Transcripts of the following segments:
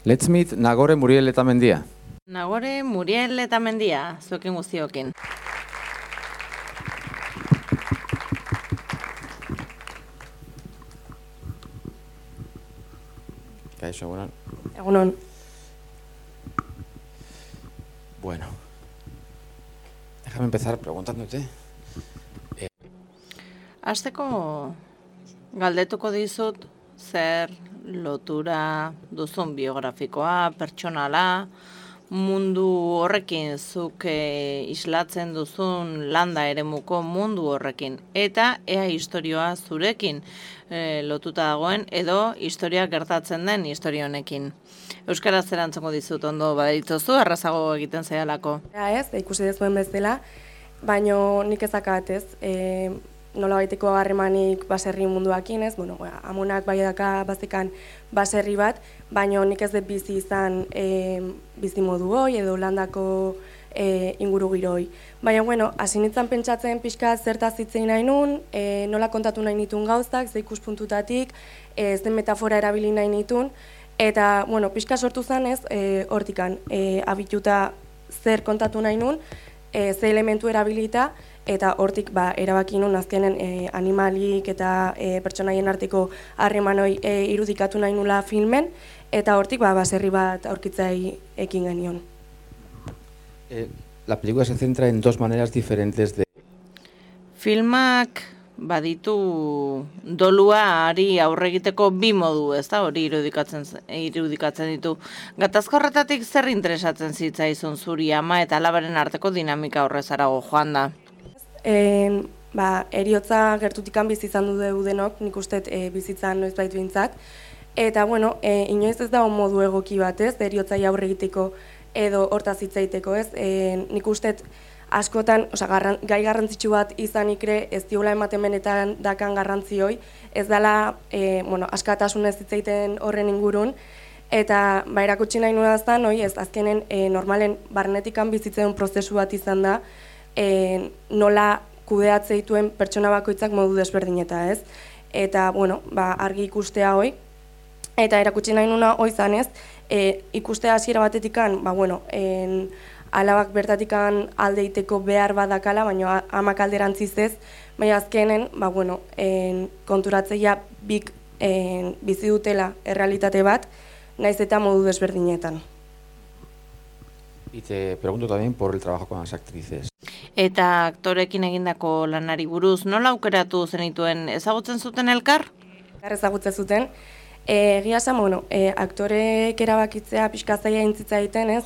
Let's meet Nagore Muriel Letamendia. Nagore Muriel Letamendia, zuekin guztiokin. Kaixo, egunon. Egunon. Bueno, déjame empezar preguntándote. Hasteko galdetuko dizut zer lotura duzun biografikoa, pertsonala, mundu horrekin zuk islatzen duzun landa eremuko mundu horrekin, eta ea historioa zurekin lotuta dagoen edo historia gertatzen den historia honekin. Euskaraz erantzungo dizut ondo badaitzozu, errazago egiten zaialako. Ez, ikusi dezuen bezala, baino nik ezakat ez, nola baiteko harremanik baserri munduakin ez, bueno, amonak bai daka bazikan baserri bat, baino nik ez dut bizi izan bizi modu hoi edo landako inguru giroi. Baina, bueno, hasi nintzen pentsatzen pixka zertaz hitzein nahi nun, nola kontatu nahi nitun gauzak, ze ikuspuntutatik, zen metafora erabili nahi nitun, eta, bueno, pixka sortu zen ez, hortikan, abituta zer kontatu nahi nun, ze elementu erabilita, eta hortik erabaki nun azkenen animalik eta pertsonaien arteko harremanoi irudikatu nahi nula filmen, eta hortik baserri bat aurkitzai ekin genion. La película se centra en dos maneras diferentes de... Filmak baditu doluari aurre egiteko bi modu, ez da, hori irudikatzen ditu. Gatazka horretatik zer interesatzen zitzaizun zuri ama eta alabaren arteko dinamika horrezarago joan da? Heriotza gertutikan bizi izan du denok, nik uste bizitzan noizbait behintzat. Eta, bueno, inoiz ez da modu egoki bat, ez, heriotzai aurre egiteko edo hortaz hitz egiteko, ez. Nik uste askotan, gai garrantzitsu bat izanik ere ez diola ematen benetan dakan garrantzioi, ez dela, askatasunez hitz egiten horren ingurun, eta erakutsi nahi nuen aztan, ez, azkenen normalen barnetikan bizitzen prozesu bat izan da, nola kudeatze dituen pertsona bakoitzak modu desberdineta, ez? Eta, argi ikustea hoi, eta erakutsi nahi nuna hoi zanez, ikustea hasiera batetikan, alabak bertatikan aldeiteko behar badakala, baina amak alderantziz ez, baina azkenen, konturatzeia bik bizi dutela errealitate bat, naiz eta modu desberdinetan. Y te pregunto también por el trabajo con las actrices. Eta aktorekin egindako lanari buruz, nola aukeratu zenituen, ezagutzen zuten elkar? Ezagutzen zuten. Egia esan, aktorek erabakitzea pixka zaila intzitza egiten, ez?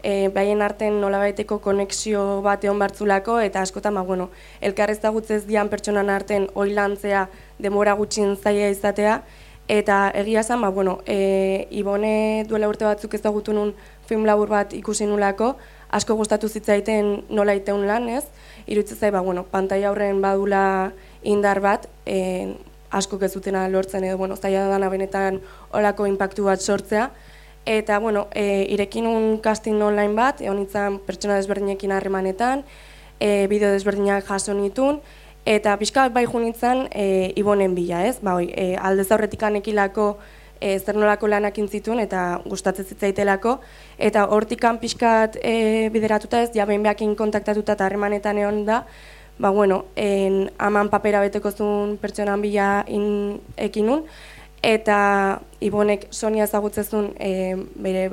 Behaien arten nolabaiteko konexio bat egon bartzulako, eta askotan, elkar ezagutzez dian pertsonan arten oilantzea denbora gutxin zaila izatea, eta egia esan, Ibone duela urte batzuk ezagutu nun film labur bat ikusi nulako, asko gustatu zitzaiten nola iteun lan, ez? Iruditzen zai, pantaila aurren badula indar bat, asko gezutena lortzen edo, zaila dana benetan olako inpaktu bat sortzea. Eta, irekin un casting online bat, egon nintzen pertsona desberdinekin harremanetan, bideo desberdinak jaso nitun, eta pixka bai jo nintzen Ibonen bila, ez? Aldez aurretikan ekilako zer nolako lanak intzitun eta gustatzen zitzaitelako, eta hortikan pixkat bideratuta ez, behin behakin kontaktatuta eta harremanetan egon da, aman papera beteko zuen pertsonan bila ekinun, eta Ibonek Sonia ezagutzezun bere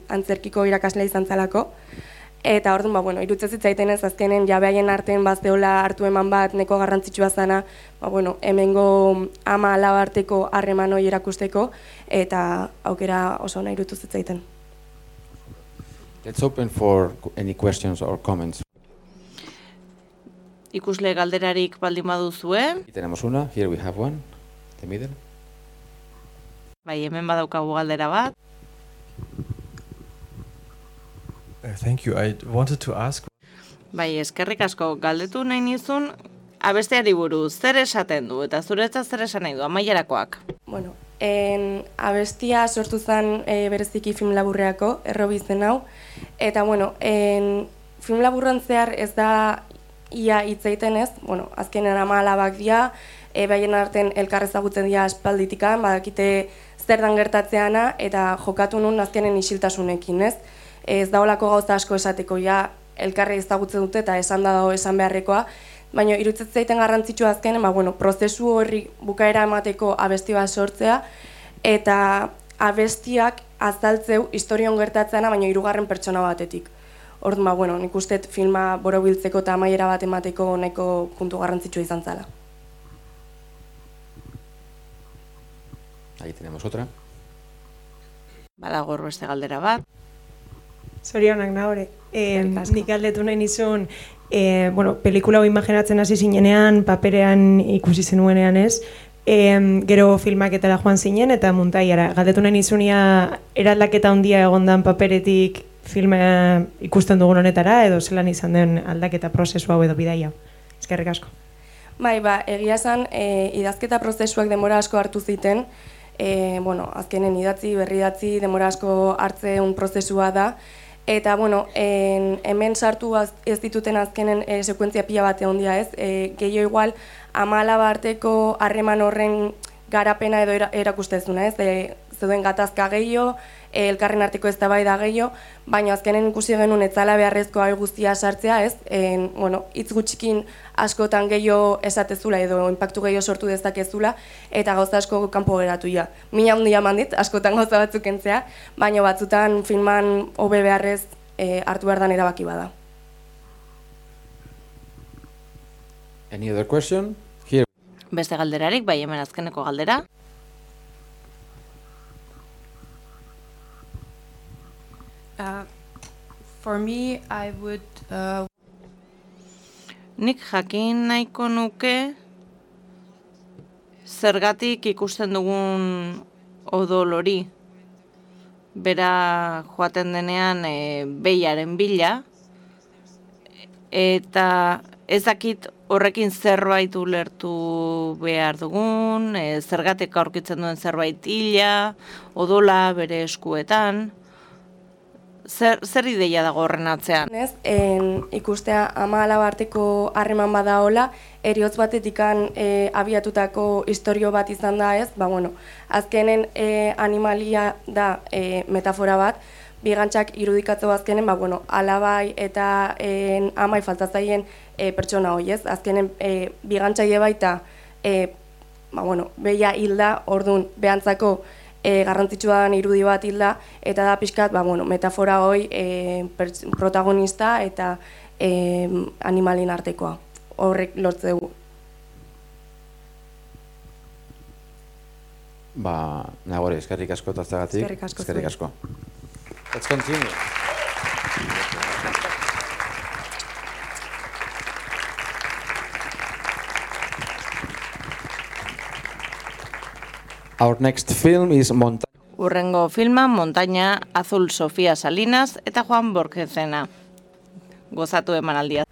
antzerkiko irakaslea izan zalako, eta orduan, iruditzen zitzaiten ez azkenen jabeaien artean bazteola hartu eman bat neko garrantzitsua zana, hemengo ama alaba arteko harreman hori erakusteko, eta aukera oso nahi iruditu zitzaiten. Let's open for any questions or comments. Ikusle galderarik baldin baduzue. Y tenemos una, here we have one, the middle. Bai, hemen badaukagu galdera bat. Thank you. I wanted to ask... Bai, eskerrik asko, galdetu nahi nizun, abesteari buruz, zer esaten du, eta zuretzat zer esan nahi du, amaierakoak? Abestia sortu zen bereziki film laburreako, errobi zen hau, eta, film laburran zehar ez da ia hitz egiten ez, azkenen ama alabak dira, Baien arten elkar ezagutzen dira aspalditikan, badakite zer dan gertatzeana, eta jokatu nun azkenen isiltasunekin, ez? Ez daolako gauza asko esateko, ja, elkarri ezagutzen dute eta esan da dago esan beharrekoa, baina iruditzen zaiten garrantzitsua azkenen, prozesu horri bukaera emateko abesti bat sortzea, eta abestiak azaltzeu historion gertatzeana, baina hirugarren pertsona batetik. Orduan, nik uste filma borobiltzeko eta amaiera bat emateko nahiko puntu garrantzitsua izan zala. Ahí tenemos otra. Badago beste galdera bat. Zorionak nahore. Nik galdetu nahi nizun, pelikula hau imaginatzen hasi zinenean, paperean ikusi zenuenean ez, gero filmaketara joan zinen eta muntaiara. Galdetu nahi nizunia eraldaketa handia egondan paperetik filma ikusten dugun honetara, edo zelan izan den aldaketa prozesu hau edo bidaia. Eskerrik asko. Bai, egia esan, idazketa prozesuak denbora asko hartu ziten, azkenen idatzi, berridatzi, denbora asko hartzeun prozesua da, eta, hemen sartu ez dituten azkenen sekuentzia pila bat egon dira ez, gehiago igual, 14 arteko harreman horren garapena edo erakustezuna ez, zeuden gatazka gehiago, elkarren arteko eztabaida gehiago, baina azkenen ikusi genuen etzala beharrezkoa guztia sartzea ez, hitz gutxikin askotan gehiago esatezula edo inpaktu gehiago sortu dezakezula, eta gauza asko kanpo geratu ja. Mina handia mandit, askotan gauza batzuk entzea, baina batzutan filman hobe beharrez hartu behar dan erabaki bada. Any other question? Here. Beste galderarik, bai hemen azkeneko galdera. For me, I would... Nik jakin nahiko nuke zergatik ikusten dugun odol hori. Bera joaten denean behiaren bila, eta ez dakit horrekin zerbait ulertu behar dugun, zergatik aurkitzen duen zerbait hila, odola bere eskuetan. Zer ideia dago horren atzean? Ikustea 14 arteko harreman badaola, eriotz batetikan abiatutako istorio bat izan da ez, azkenen animalia da metafora bat, bigantzak irudikatzo azkenen, alabai eta amai faltatzaien pertsona hoi ez, azkenen bigantzaile baita, behia hilda, orduan behantzako garrantzitsua den irudi bat hilda, eta da pixkat, metafora hoi protagonista eta animalin artekoa. Horrek lortze dugu. Nagore, eskerrik asko taztegatik. Eskerrik asko. Let's continue. Our next film is Urrengo filma Montaña Azul Sofía Salinas eta Juan Borgesena. Gozatu emanaldia.